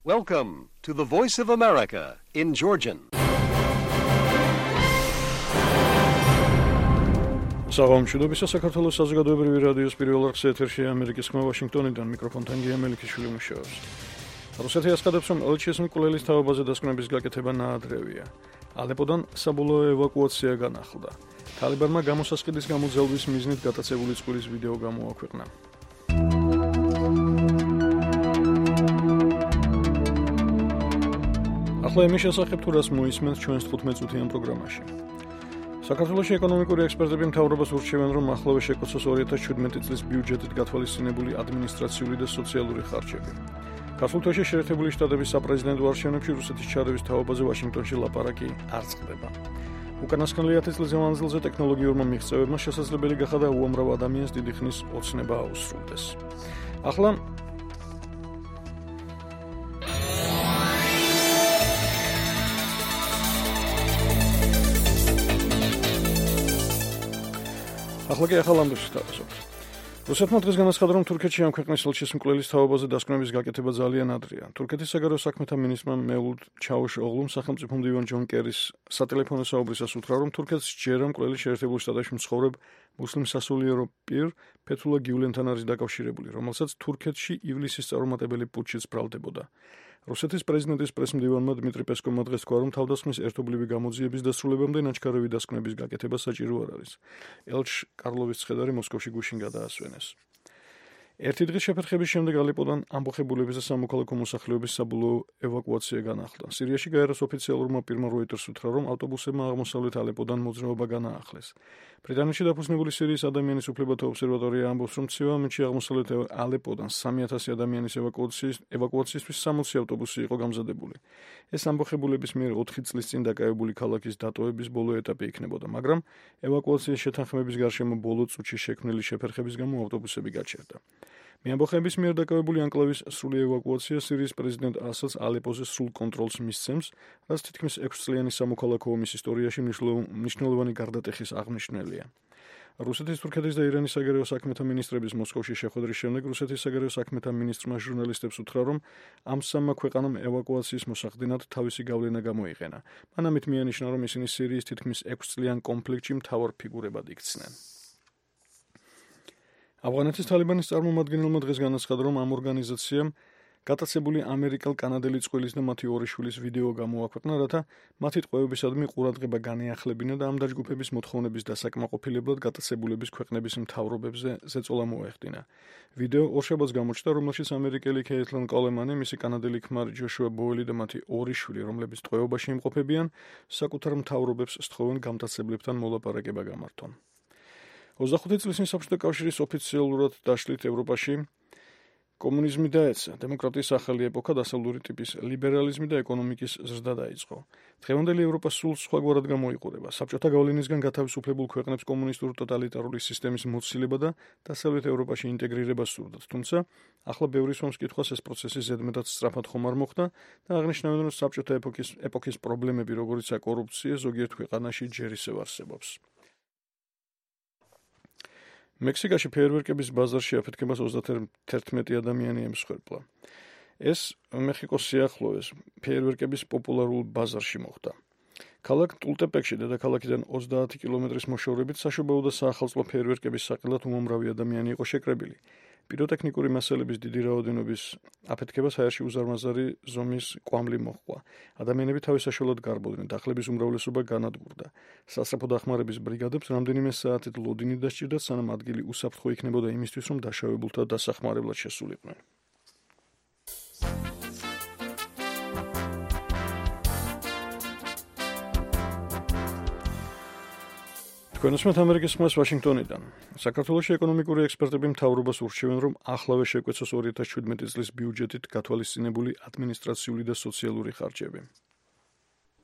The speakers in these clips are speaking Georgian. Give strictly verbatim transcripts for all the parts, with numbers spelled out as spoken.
Welcome to the Voice of America in Georgian. საღამოშიდობისა საქართველოს საზოგადოებრივი რადიოს პირველ არხზე ეთერშია ამერიკის ხმა ვაშინგტონიდან მიკროფონთან გია მელიქიშვილი მუშაობს. რუსეთი ასკადებს, რომ ელჩის მკვლელის თავობაზე დასკვნების გაკეთება ნაადრევია. ალეპოდან საბოლოო ევაკუაცია განახლდა. თალიბანმა გამოსასყიდის გამოძალვის მიზნით გატაცებული წყვილის ვიდეო გამოაქვეყნა. ახლა იმის შესახებ თუ რას მოისმენთ ჩვენს თხუთმეტ წუთიან პროგრამაში. საქართველოში ეკონომიკური ექსპერტები მთავრობას ურჩევენ, რომ ახლავე შეკოცოს ორი ათას შვიდმეტი წლის ბიუჯეტით გათვალისწინებული ადმინისტრაციული და სოციალური ხარჯები. ქართულ თვეში შეერთებული შტატების საპრეზიდენტო არჩევნებში რუსეთის ჩარევის თაობაზე ვაშინგტონში ლაპარაკი არ წყდება. უკანასკნელი ათი წლის მანძილზე ტექნოლოგიურმა მიღწევებმა შესაძლებელი გახადა უამრავ ადამიანს დიდი ხნის ოცნება აუსრულდეს. ახლა ახლა კი ახალ ამბებს ვთავაზობთ. რუსეთმა დღეს განაცხადა, რომ თურქეთში ამ ქვეყნის ელჩის მკვლელის თაობაზე დასკვნების გაკეთება ძალიან ადრეა. თურქეთის საგარეო საქმეთა მინისტრმა მევლუდ ჩაუშოღლუმ სახელმწიფო მდივან ჯონ კერის სატელეფონო საუბრისას უთხრა, რომ თურქეთს ჯერა მკვლელი შეერთებულ შტატებში მცხოვრებ მუსლიმ სასულიერო პირ ფეთულა გიულენთან არის დაკავშირებული, რომელსაც თურქეთში ივლისის წარუმატებელი პუტჩიც ბრალდებოდა. რუსეთის პრეზიდენტის პრესმდივანმა დმიტრი პესკოვმა დღეს თქვა, რომ თავდასხმის ერთობლივი გამოძიების დასრულებამდე ნაჩქარევი დასკვნების გაკეთება საჭირო არ არის. ელჩ კარლოვის ცხედარი მოსკოვში გუშინ გადაასვენეს. ერთი დღის შეფერხების შემდეგ ალეპოდან ამბოხებულების და სამოქალაქო მოსახლეობის საბოლოო ევაკუაცია განახლდა. სირიაში გაეროს ოფიციალურმა პირმა როიტერს უთხრა, რომ ავტობუსებმა აღმოსავლეთ ალეპოდან მოძრაობა განაახლეს. ბრიტანეთში დაფუძნებული სირიის ადამიანის უფლებათა ობსერვატორია ამბობს, რომ ცივამეთში აღმოსავლეთ ალეპოდან სამი ათასი ადამიანის ევაკუაციის ევაკუაციისთვის სამოცი ავტობუსი იყო გამზადებული. ეს ამბოხებულების მიერ ოთხი წლის წინ დაკავებული ქალაქის დატოვების ბოლო ეტაპი იქნებოდა, მაგრამ ევაკუაციის შეთანხმების გარშემო ბოლო წუთში შექმნილი შეფერხების გამო ავტობუსები გაჩერდა. მეამბოხების მიერ დაკავებული ანკლავის სრული ევაკუაცია სირიის პრეზიდენტ ასადს ალეპოზე სრულ კონტროლს მისცემს, რაც თითქმის ექვსწლიანი სამოქალაქო ომის ისტორიაში მნიშვნელოვანი გარდატეხის აღნიშვნელია. რუსეთის, თურქეთის და ირანის საგარეო საქმეთა მინისტრების მოსკოვში შეხვედრის შემდეგ რუსეთის საგარეო საქმეთა მინისტრმა ჟურნალისტებს უთხრა, რომ ამ სამმა ქვეყანამ ევაკუაციის მოსახდენად თავისი გავლენა გამოიყენა. მან ამით მიანიშნა, რომ ისინი სირიის თითქმის ექვსწლიან კონფლიქტში მთავარ ფიგურებად იქცნენ. ავღანეთის თალიბანის წარმომადგენელმა დღეს განაცხადა, რომ ამ ორგანიზაციამ გატაცებული ამერიკელ-კანადელი წყვილის და მათი ორი შვილის ვიდეო გამოაქვეყნა, რათა მათი ტყვეობისადმი ყურადღება განეახლებინა და ამ დაჯგუფების მოთხოვნების დასაკმაყოფილებლად გატაცებულების ქვეყნების მთავრობებზე ზეწოლა მოეხდინა. ვიდეო ორშაბათს გამოჩნდა, რომელშიც ამერიკელი ქეითლენ კოლემანი, მისი კანადელი ქმარი ჯოშუა ბოელი და მათი ორი შვილი, რომლებიც ტყვეობაში იმყოფებიან, საკუთარ მთავრობებს სთხოვენ გამტაცებლებთან მოლაპარაკება გამართონ. ოცდახუთი წლის წინ საბჭოთა კავშირის ოფიციალურად დაშლით ევროპაში კომუნიზმი დაეცა, დემოკრატიის ახალი ეპოქა დასავლური ტიპის ლიბერალიზმი და ეკონომიკის ზრდა დაიწყო. დღევანდელი ევროპა სულ სხვაგვარად გამოიყურება. საბჭოთა გავლენისგან გათავისუფლებულ ქვეყნებს კომუნისტური ტოტალიტარული სისტემის მოცილება და დასავლეთ ევროპაში ინტეგრირება სურდათ, თუმცა ახლა ბევრი სვამს კითხვას ეს პროცესი ზედმეტად სწრაფად ხომ არ მოხდა და აღნიშნავენ, რომ საბჭოთა ეპოქის ეპოქის პრობლემები, როგორიცაა კორუფცია, ზოგიერთ ქვეყანაში ჯერ ისევ არსებობს. მექსიკაში ფეიერვერკების ბაზარში აფეთქებას ოცდაათი ადამიანი ემსხვერპლა. ეს მეხიკოს სიახლოვეს ფეიერვერკების პოპულარულ ბაზარში მოხდა. ქალაქ ტულტეპეკში დედაქალაქიდან ოცდაათი კილომეტრის მოშორებით საშობაო და საახალწლო ფეიერვერკების საყელად უამრავი ადამიანი იყო შეკრებილი. პიროტექნიკური მასალების დიდი რაოდენობის აფეთქებას აერში უზარმაზარი ზომის კვამლი მოჰყვა. ადამიანები თავის საშუალოდ გარბოდნენ, დახლების უმრავლესობა განადგურდა. სასწრაფო დახმარების ბრიგადებს რამდენიმე საათით ლოდინი დასჭირდათ, სანამ ადგილი უსაფრთხო იქნებოდა იმისთვის, რომ დაშავებულთა დასახმარებლად შესულიყვნენ. თქვენ უსმენთ ამერიკის ხმას ვაშინგტონიდან. საქართველოში ეკონომიკური ექსპერტები მთავრობას ურჩევენ, რომ ახლავე შეკვეცოს ორი ათას შვიდმეტი წლის ბიუჯეტით გათვალისწინებული ადმინისტრაციული და სოციალური ხარჯები.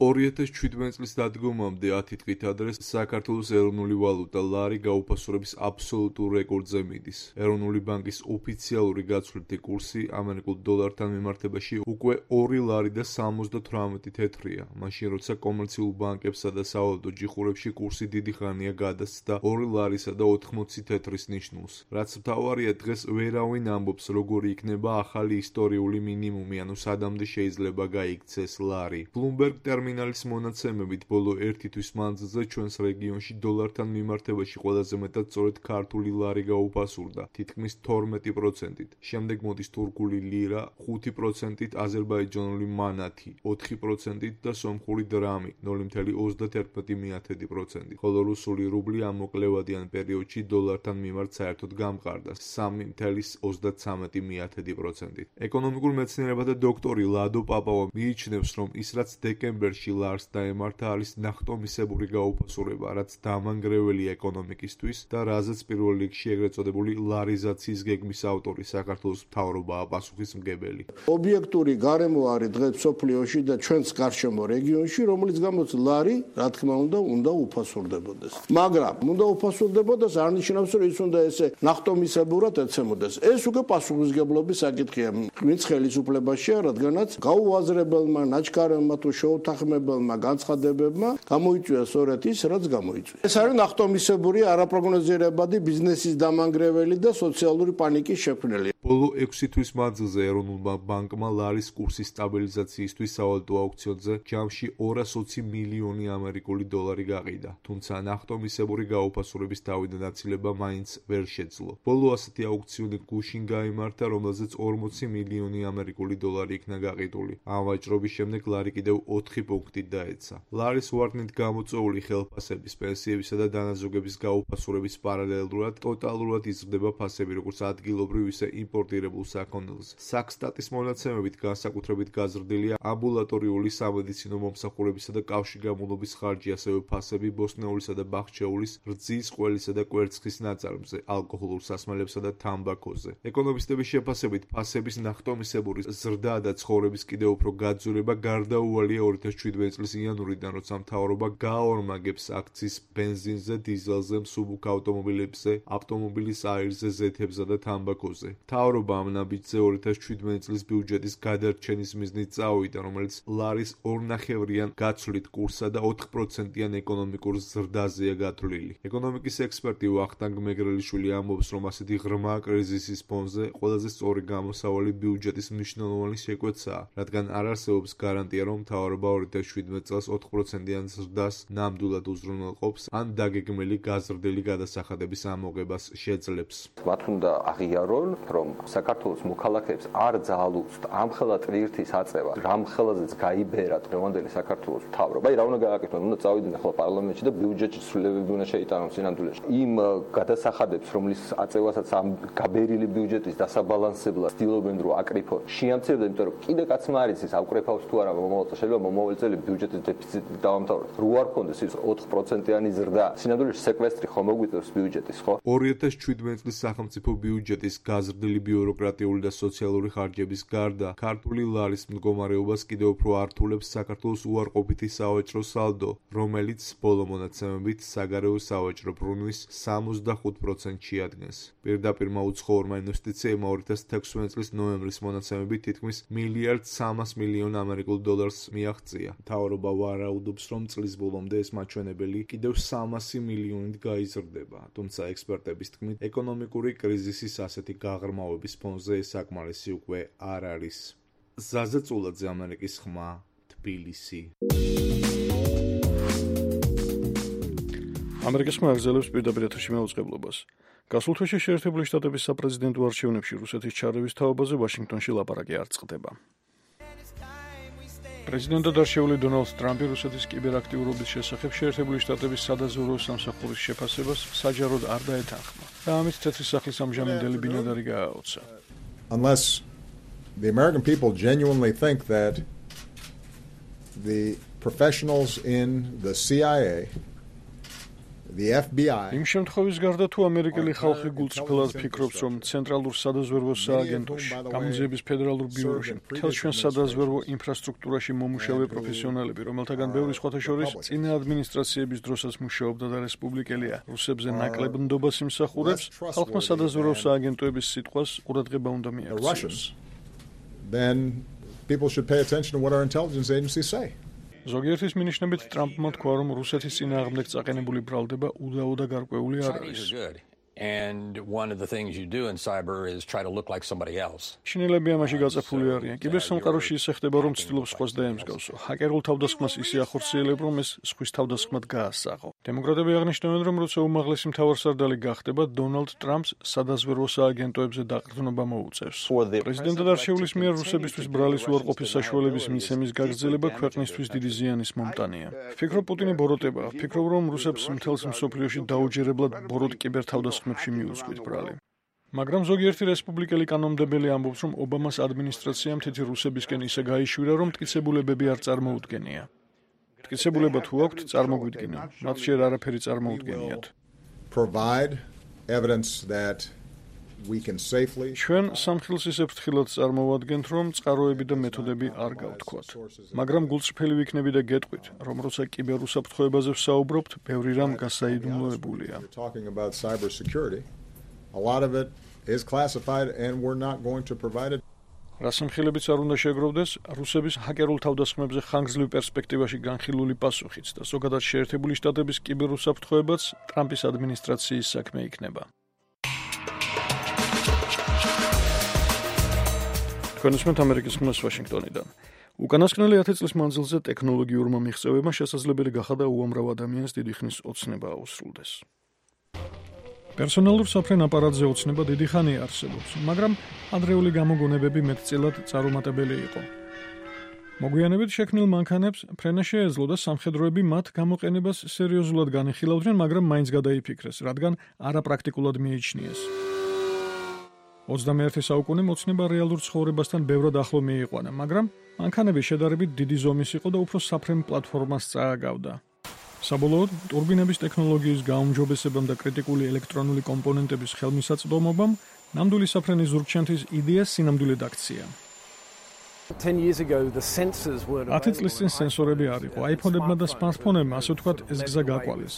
ორი ათას შვიდმეტი წლის დადგომამდე ათი დღით ადრე საქართველოს ეროვნული ვალუტა ლარი გაუფასურების აბსოლუტურ რეკორდზე მიდის. ეროვნული ბანკის ოფიციალური გაცვლითი კურსი ამერიკულ დოლართან მიმართებაში უკვე ორი ლარი და სამოცდათვრამეტი თეთრია, მაშინ როცა კომერციულ ბანკებსა და სავალუტო ჯიხურებში კურსი დიდი ხანია გადასცდა ორი ლარისა და ოთხმოცი თეთრის ნიშნულს. რაც მთავარია, დღეს ვერავინ ამბობს, როგორი იქნება ახალი ისტორიული მინიმუმი, ანუ სადამდე შეიძლება გაიქცეს ლარი. Bloomberg ტერმინალის მონაცემებით ბოლო ერთი თვის მანძილზე ჩვენს რეგიონში დოლართან მიმართებაში ყველაზე მეტად სწორედ ქართული ლარი გაუფასურდა, თითქმის თორმეტი პროცენტით. შემდეგ მოდის თურქული ლირა ხუთი პროცენტით, აზერბაიჯანული მანათი ოთხი პროცენტით და სომხური დრამი ნული მცდამეტი ოცდაათი პროცენტით, ხოლო რუსული რუბლი ამ მოკლევადიან პერიოდში დოლართან მიმართ საერთოდ გამყარდა სამი მცდამეტი ოცდაცხრამეტი პროცენტით. ეკონომიკურ მეცნიერებათა დოქტორი ლადო პაპავა მიიჩნევს, რომ ის რაც დეკემბერში ლარს დაემართა არის ნახტომისებური გაუფასურება, რაც დამანგრეველია ეკონომიკისთვის და რაზეც პირველ რიგში ეგრეთ წოდებული ლარიზაციის გეგმის ავტორი საქართველოს მთავრობაა პასუხისმგებელი. ობიექტური გარემო არის დღეს მსოფლიოში და ჩვენს გარშემო რეგიონში, რომელიც გამოც ლარი, რა თქმა უნდა, უნდა უფასურდებოდეს. მაგრამ უნდა უფასურდებოდეს არ ნიშნავს, რომ ის უნდა ესე ნახტომისებურად ეცემოდეს. ეს უკვე პასუხისმგებლობის საკითხია. ვინც ხელისუფლებაშია, რადგანაც გაუაზრებელმა ნაჩქარებმა თუ შეუთანხმებელმა განცხადებებმა გამოიწვია სწორედ ის, რაც გამოიწვია. ეს არის ნახტომისებური, არაპროგნოზირებადი ბიზნესის დამანგრეველი და სოციალური პანიკის შექმნელი. ბოლო ექვსი თვის მანძილზე ეროვნულმა ბანკმა ლარის კურსის სტაბილიზაციისთვის სავალუტო აუქციონზე ჯამში ორას ოცი მილიონი ამერიკული დოლარი გაყიდა, თუმცა ნახტომისებური გაუფასურების თავიდანაცილება მაინც ვერ შეძლო. ბოლო ასეთი აუქციონი გუშინ გაიმართა, რომელზეც ორმოცი მილიონი ამერიკული დოლარი იქნა გაყიდული. ამ ვაჭრობის შემდეგ ლარი კიდევ ოთხი პუნქტით დაეცა. ლარის ვარდნით გამოწვეული ხელფასების, პენსიებისა და დანაზოგების გაუფასურების პარალელურად ტოტალურად იზრდება ფასები, როგორც ადგილობრივ, ისე იმპორტირებულ საქონელზე. საქსტატის მონაცემებით განსაკუთრებით გაზრდილია ამბულატორიული სამედიცინო მომსახურებისა და კავშირგაბმულობის ხარჯი, ასევე ფასები ბოსტნეულისა და ბახჩეულის, რძის, ყველისა და კვერცხის ნაწარმზე, ალკოჰოლურ სასმელებსა და თამბაქოზე. ეკონომისტების შეფასებით, ფასების ნახტომისებური ზრდა და ცხოვრების კიდევ უფრო გაძვირება გარდაუვალია ორი ათას შვიდმეტი წლის იანვრიდან, როცა მთავრობა გააორმაგებს აქციის ბენზინზე, დიზელზე, მსუბუქ ავტომობილებზე, ავტომობილის აირზე, ზეთებსა და თამბაქოზე. მთავრობა ამ ნაბიჯზე ორი ათას შვიდმეტი წლის ბიუჯეტის გადარჩენის მიზნით წავიდა, რომელიც ლარის ორნახევრიან გაცვლით კურსსა და ოთხ პროცენტიან ეკონომიკურ ზრდაზეა გათვლილი. ეკონომიკის ექსპერტი ვახტანგ მეგრელიშვილი ამბობს, რომ ასეთი ღრმა კრიზისის ფონზე ყველაზე სწორი გამოსავალი ბიუჯეტის მნიშვნელოვანი შეკვეცაა, რადგან არ არსებობს გარანტია, რომ მთავრობა ორი ათას შვიდმეტი წელს ოთხ პროცენტიან ზრდას ნამდვილად უზრუნველყოფს, ან დაგეგმილი გაზრდილი გადასახადების ამოღებას შეძლებს. მათ უნდა აღიარონ, რომ საქართველოს მოქალაქეებს არ ძალუძთ ამხელა ტვირთის აწევა, რამხელაზეც გაიბერა დღევანდელი საქართველოს მთავრობა. აი რა უნდა გააკეთონ, უნდა წავიდნენ ახლა პარლამენტში და ბიუჯეტში ცვლილებები უნდა შეიტანონ სინამდვილეში. იმ გადასახადებს, რომლის აწევასაც ამ გაბერილი ბიუჯეტის დასაბალანსებლად ცდილობენ რომ აკრიფონ, შეამცირებდნენ, იმიტომ რომ კიდე კაცმა არის ის აკრიფავს თუ არა მომავალ წელს, შეიძლება მომავალ წელი ბიუჯეტის დეფიციტი დავამთავროთ. რო არ ქონდეს ის ოთხ პროცენტიანი ზრდა, სინამდვილეში სეკვესტრი ხომ მოგვიწევს ბიუჯეტის, ხო? ორი ათას შვიდმეტი წლის სახელმწიფო ბიუჯეტის გაზრდილი ბიუროკრატიული და სოციალური ხარჯების გარდა, ქართული ლარის მდგომარეობას კიდევ უფრო ართულებს საქართველოს უარყოფითი სავაჭრო სალდო, რომელიც ბოლო მონაცემებით საგარეო სავაჭრო ბრუნვის სამოცდახუთ პროცენტს შეადგენს. პირდაპირ უცხოურმა ინვესტიციებმა ორი ათას თექვსმეტი წლის ნოემბრის მონაცემებით თითქმის მილიარდ სამას მილიონ ამერიკულ დოლარს მიაღწია. მთავრობა ვარაუდობს, რომ წლის ბოლომდე ეს მაჩვენებელი კიდევ სამასი მილიონით გაიზრდება, თუმცა ექსპერტების თქმით, ეკონომიკური კრიზისის ასეთი გაღრმავების ფონზე ეს საკმარისი უკვე არ არის. ზაზა წულაძე, ამერიკის ხმა, თბილისი. ამერიკის ხმა აგრძელებს პირდაპირ ეთერში მეუწყებლობას. გასულ თვეში შეერთებული შტატების საპრეზიდენტო არჩევნებში რუსეთის ჩარევის თაობაზე ვაშინგტონში ლაპარაკი არ წყდება. პრეზიდენტად არჩეული დონალდ ტრამპი რუსეთის კიბერაქტიურობის შესახებ შეერთებული შტატების სადაზვერვო სამსახურის შეფასებას საჯაროდ არ დაეთანხმა და ამით თეთრი სახლის ამჟამინდელი ბინადარი გააოცა. Unless the American people genuinely think that the professionals in the C I A, the F B I იმ შემთხვევის გარდა თუ ამერიკელი ხალხი გულწრფელად ფიქრობს, რომ ცენტრალურ სადაზვერვო სააგენტოში, გამოძიების ფედერალურ ბიუროში, მთელ ჩვენ სადაზვერვო ინფრასტრუქტურაში მომუშავე პროფესიონალები, რომელთაგან ბევრი სხვათა შორის წინა ადმინისტრაციების დროსაც მუშაობდა და რესპუბლიკელია, რუსებზე ნაკლებ ნდობას იმსახურებს, ხალხმა სადაზვერვო სააგენტოების სიტყვას ყურადღება უნდა მიაქციოს. Then people should pay attention to what our intelligence agencies say. ზოგიერთის მინიშნებით ტრამპმა თქვა, რომ რუსეთის წინააღმდეგ წაყენებული ბრალდება უდაო და გარკვეული არ არის. And one of the things you do in cyber is try to look like somebody else. შინელები ამაში გაწაფული არიან. კიბერსამყაროში ისე ხდება, რომ ცდილობს სხვას დაემსგავსო. ჰაკერულ თავდასხმას ისე ახორციელებ, რომ ეს სხვის თავდასხმად გაასაღო. დემოკრატები აღნიშნავენ, რომ როცა უმაღლესი მთავარსარდალი გახდება, დონალდ ტრამპს სადაზვერვო სააგენტოებზე დაყრდნობა მოუწევს. პრეზიდენტად არჩეულის მიერ რუსებისთვის ბრალის უარყოფის საშუალების მიცემის გაგრძელება ქვეყნისთვის დიდი ზიანის მომტანია. ვფიქრობ, პუტინი ბოროტებაა. ვფიქრობ, რომ რუსებს მთელს მსოფლიოში დაუჯერებლად ბოროტ კიბერთავდასხმებში მიუძღვით ბრალი. მაგრამ ზოგიერთი რესპუბლიკელი კანონმდებელი ამბობს, რომ ობამას ადმინისტრაციამ თითი რუსებისკენ ისე გაიშვირა, რომ მტკიცებულებები არ წარმოუდგენია. მტკიცებულება თუ აქვთ, წარმოგვიდგინო. მათ ჯერ არაფერი წარმოუდგენიათ. Provide evidence that we can safely ჩვენ სამხილს ისე ფრთხილად წარმოვადგენთ, რომ წყაროები და მეთოდები არ გავთქვათ. მაგრამ გულწრფელი ვიქნები და გეტყვით, რომ როცა კიბერუსაფრთხოებაზე ვსაუბრობთ, ბევრი რამ გასაიდუმლოებულია. talking about cybersecurity. A lot of it is classified and we're not going to provide it. რას ამხილებიც არ უნდა შეგროვდეს, რუსების ჰაკერულ თავდასხმებზე ხანგრძლივ პერსპექტივაში განხილული პასუხიც და ზოგადად შეერთებული შტატების კიბერუსაფრთხოებაც ტრამპის ადმინისტრაციის საქმე იქნება. თქვენ უსმენთ ამერიკის ხმას ვაშინგტონიდან. უკანასკნელი ათი წლის მანძილზე ტექნოლოგიურმა მიღწევებმა შესაძლებელი გახადა უამრავ ადამიანს დიდი ხნის ოცნება აუსრულდეს. პერსონალურ საფრენ აპარატზე ოცნება დიდი ხანია არსებობს, მაგრამ ადრეული გამოგონებები მეტწილად წარუმატებელი იყო. მოგვიანებით შექმნილ მანქანებს ფრენა შეეძლო და სამხედროები მათ გამოყენებას სერიოზულად განიხილავდნენ, მაგრამ მაინც გადაიფიქრეს, რადგან არაპრაქტიკულად მიიჩნიეს. ოცდამეერთე საუკუნე მოცნება რეალურ ცხოვრებასთან ბევრად ახლო მიიყვანა, მაგრამ მანქანები შედარებით დიდი ზომის იყო და უფრო საფრენ პლატფორმას წააგავდა. საბოლოოდ, ტურბინების ტექნოლოგიის გაუმჯობესებამ და კრიტიკული ელექტრონული კომპონენტების ხელმისაწვდომობამ ნამდვილი საფრენის ზურგჩენთის იდეა სინამდვილედ აქცია. ათი წლის წინ სენსორები არ იყო, აიფონებმა და სმარტფონებმა, ასე ვთქვათ, ეს გზა გაკვალეს.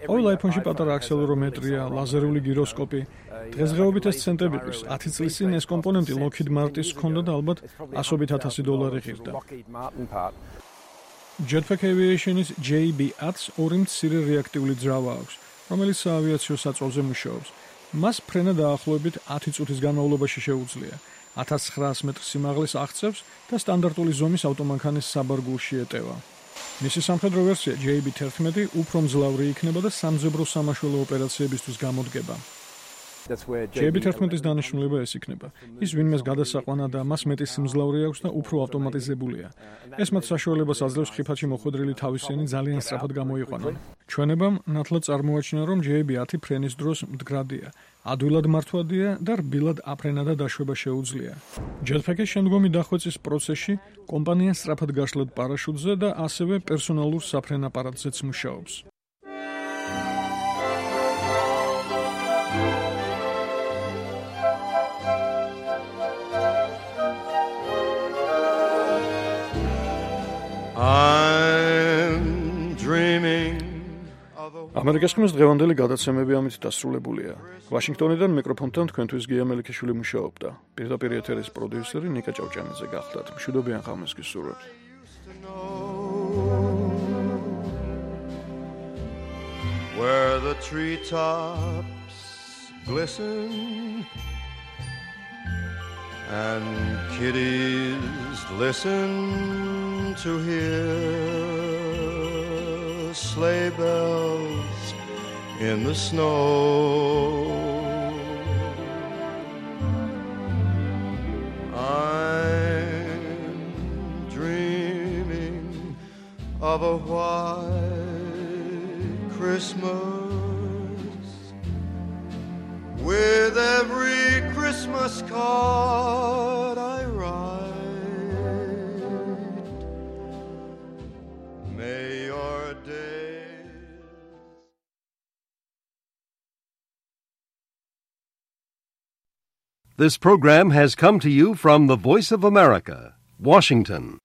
ყოველ აიფონში პატარა აქსელერომეტრია, ლაზერული გიროსკოპი. დღესდღეობით ეს ცენტები ყრის. ათი წლის წინ ეს კომპონენტი Lockheed Martin-ის ჰქონდა და ალბათ ასობით ათასი დოლარი ღირდა. Jetpack Aviation-ის J B ათს ორი მცირე რეაქტიული ძრავა აქვს, რომელიც საავიაციო საწოლზე მუშაობს. მას ფრენა დაახლოებით ათი წუთის განმავლობაში შეუძლია. ათას ცხრაას მეტრ სიმაღლეს აღწევს და სტანდარტული ზომის ავტომანქანის საბარგულში ეტევა. მისი სამხედრო ვერსია J B თერთმეტი უფრო მძლავრი იქნება და სამძებრო სამაშველო ოპერაციებისთვის გამოდგება. J B თერთმეტის დანიშნულება ეს იქნება. ის ვინმეს გადასაყვანა და მას მეტი სიმძლავრე აქვს და უფრო ავტომატიზებულია. ეს მათ საშუალებას აძლევს ხიფათში მოხვედრილი თავისიანი ძალიან სწრაფად გამოიყვანონ. ჩვენებამ ნათლად წარმოაჩინა, რომ J B ათი ფრენის დროს მდგრადია, ადვილად მართვადია და რბილად აფრენა და დაშვება შეუძლია. Jetpack-ის შემდგომი დახვეწის პროცესში კომპანია სწრაფად გაშლად პარაშუტზე და ასევე პერსონალურ საფრენ აპარატზეც მუშაობს. I'm dreaming of a ამერიკის ხმის დღევანდელი გადაცემები ამით დასრულებულია. ვაშინგტონიდან მიკროფონთან თქვენთვის გია მელიქიშვილი მუშაობდა. პირდაპირ ეთერის პროდიუსერი ნიკა ჭავჭანიძე გახლდათ. მშვიდობიან ღამეს გისურვებთ. Where the treetops glisten and kitties listen to hear sleigh bells in the snow. I'm dreaming of a white Christmas with every Christmas card I This program has come to you from the Voice of America, Washington.